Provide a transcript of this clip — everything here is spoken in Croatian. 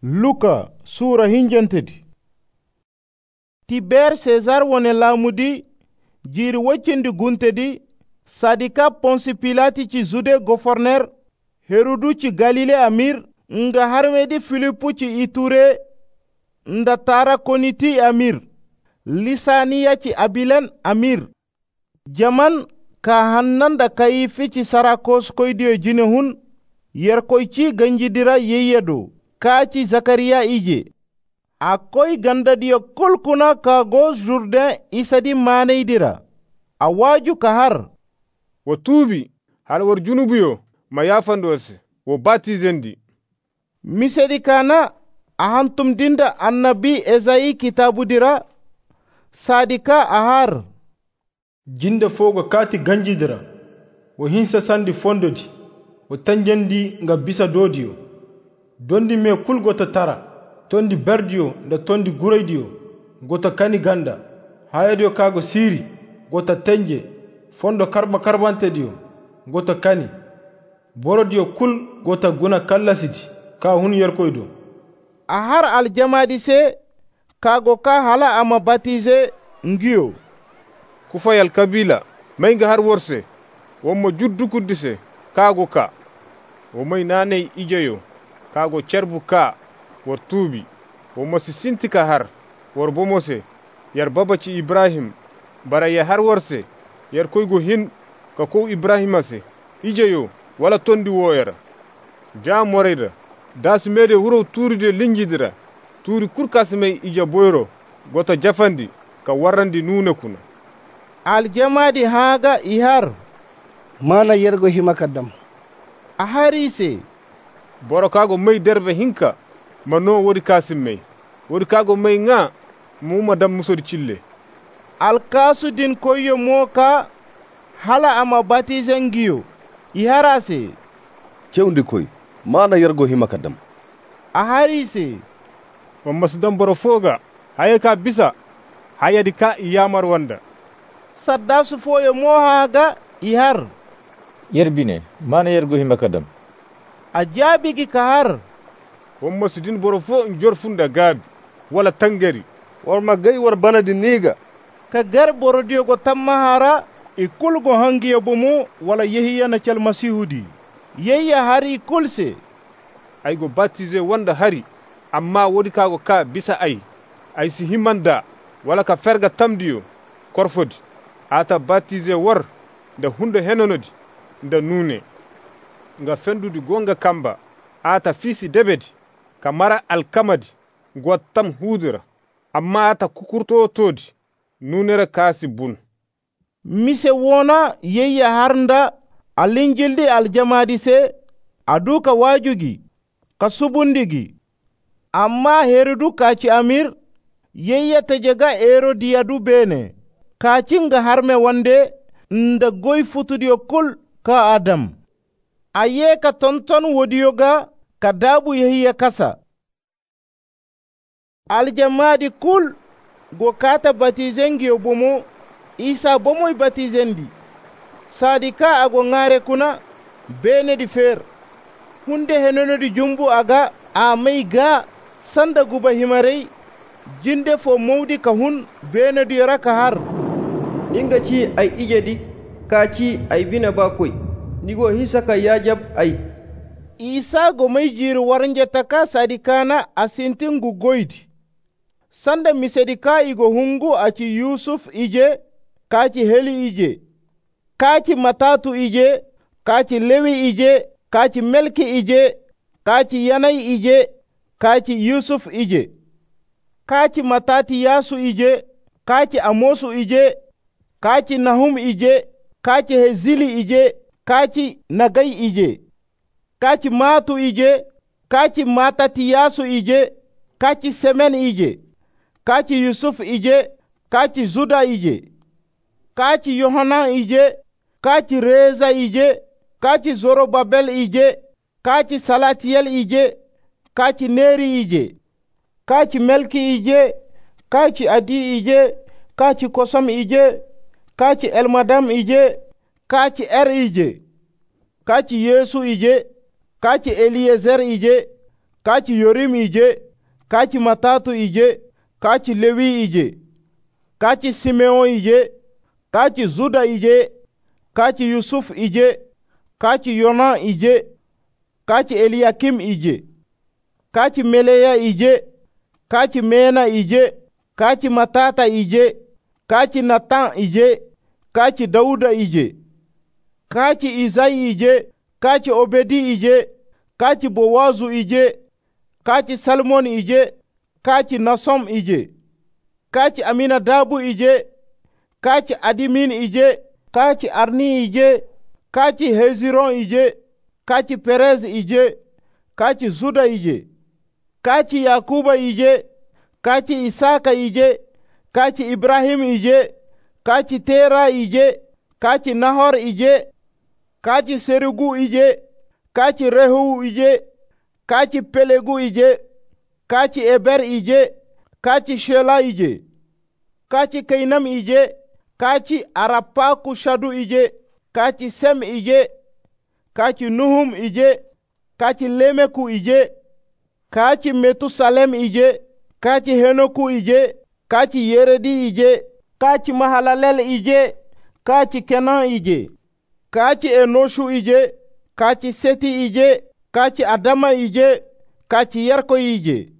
Luka Sura hinjantedi. Tiber Cesar wone laamudi jiiri woccindi guntedi, sadika Ponsi Pilati ci Jude gouverneur, Herodu ci Galile amir, nga harmedi Filipu ci Iture, nda tara koniti amir, Lisaniya ci Abilen amir, jaman ka hannanda kayifi ci Sarakos koydiyo jine hun, yer koy ci ganjidira yeyedo, kaci Zakariya ije. Akoy gandadiyo kulkuna ka go Jourdain isadi maneydira. Awaju kahar. Wo tuubi hal war junubuyo ma yafandorse wo batizendi. Misedi kana ahantum dinda annabi Ezayi kitabu dira. Sadika ahar. Jinda fogo kati ganjidira. Wo hinsa sandi fondodi. Wo tanjendi nga bisa dodiyo. Dondi me kul gota tara. Tondi berdiyo nda tondi guraydiyo. Gota kani ganda. Hayadiyo kago siri. Gota tenje. Fondo karbante diyo. Gota kani. Borodiyo kul gota guna kallasiti. Ka hun yerkoydo. Ahar aljamadi se kago ka hala ama batize ngiyo. Kufayal kabila mainga har worse. Wommo juddu kuddise kago ka. Womay naney ijeyo. Kago cerbu ka war tuubi. Wommo si sintika har war bomose. Yar babaci Ibrahim bara ya har worse. Yar koygo hin ka ko Ibrahimase. Ijeyo wala tondi woyara. Jam moreyda. Das mede wuro tuuride linjidira. Tuuri kurkasimey ija boyro. Gota jafandi ka warrandi nuna kuna. Aljamadi haga ihar. Mana yergo himakadam. Aharise. Boro kago may derbe hinka mano wori kasimey. Wori kago may nga muma dam musori chille. Alkasu din koyo moka hala ama batizengiyo. Iharase. Cewndi koy mana yergo himakadam. Aharise. Wamasdam boro foga hayaka bisa hayadi ka iyamar wanda. Saddasu foyo mohaga ihar. Yerbine mana yergo himakadam. Ajabigi kahar. Wamasdin boro fo njorfunda gabi wala tangari. Warma gay war banadi niga. Ka gar borodiyo go tammahara ikul go hangiya bomo wala yehiya na cal masihudi. Yeya hari kulse. Ay go baptize wanda hari amma wodi kago ka bisa ay si himanda wala ka ferga tamdiyo korfodi ata baptize war da hunde henonodi nda nune nga fendudi gonga kamba ata fisi debedi ka mara alkamadi gwattam hudura amma ata kukurto todi nunera kasi bun. Mise wona yeya harnda alinjildi aljamadi se aduka wajugi ka subundigi amma Herodu kaci amir yeya tajega Herodiyadu bene kacinga harme wande nda goy futudiyo kul ka Adam aye ka tonton wodiyoga ka dabu yehiya kasa aljamadi kul go kata batizengiyo bomo Isa bomoy batizendi sadika ago ngare kuna bene di fer hunde henono di jumbu aga amay ga sanda guba himarey jinde fo mawdi ka hun bene di raka har ninga ci ay ijedi ka ci ay bina bakoy nigo hisaka yajab ay Isa go may jiru warnje taka sadikana asintingu goydi sanda misedika igo hungu aci Yusuf ije kaci Heli ije kaci Matatu ije kaci Lewi ije kaci Melki ije kaci Yanay ije kaci Yusuf ije kaci Matati Yasu ije kaci Amosu ije kaci Nahum ije kaci Hezili ije kaci Nagay ije kaci Matu ije kaci Matati Yasu ije kaci Semen ije kaci Yusuf ije kaci Zuda ije kaci Yohanan ije kaci Reza ije kaci Zorobabel ije kaci Salatiyel ije kaci Neri ije kaci Melki ije kaci Adi ije kaci Kosam ije kaci Elmadam ije kaci Er ije kaci Yesu ije kaci Eliezer ije kaci yorim ije, kaci matatu ije, kaci lewi ije, kaci simeon ije, kaci zuda ije, kaci yusuf ije, kaci yona ije, kaci eliakim ije, kaci meleya ije, kaci mena ije, kaci matata ije, kaci natan ije, kaci dauda ije, kaci izai ije, kaci obedi ije, kaci bowazu ije, kaci salmon ije, kaci nasom ije, kaci aminadabu ije, kaci adimin ije, kaci arni ije, kaci heziron ije, kaci perez ije, kaci zuda ije, kaci yakuba ije, kaci isaka ije, kaci ibrahim ije, kaci tera ije, kaci nahor ije, kaci serugu ije, kaci rehu ije, kaci pelegu ije, kaci eber ije, kaci shela ije, kaci kainam ije, kaci arapaku shadu ije, kaci sem ije, kaci nuhum ije, kaci lemeku ije, kaci metusalem ije, kaci henoku ije, kaci yeredi ije, kaci mahalalel ije, kaci kenan ije, kaci enoshu ije, kaci seti ije, kaci adama ije, kaci yarko ije.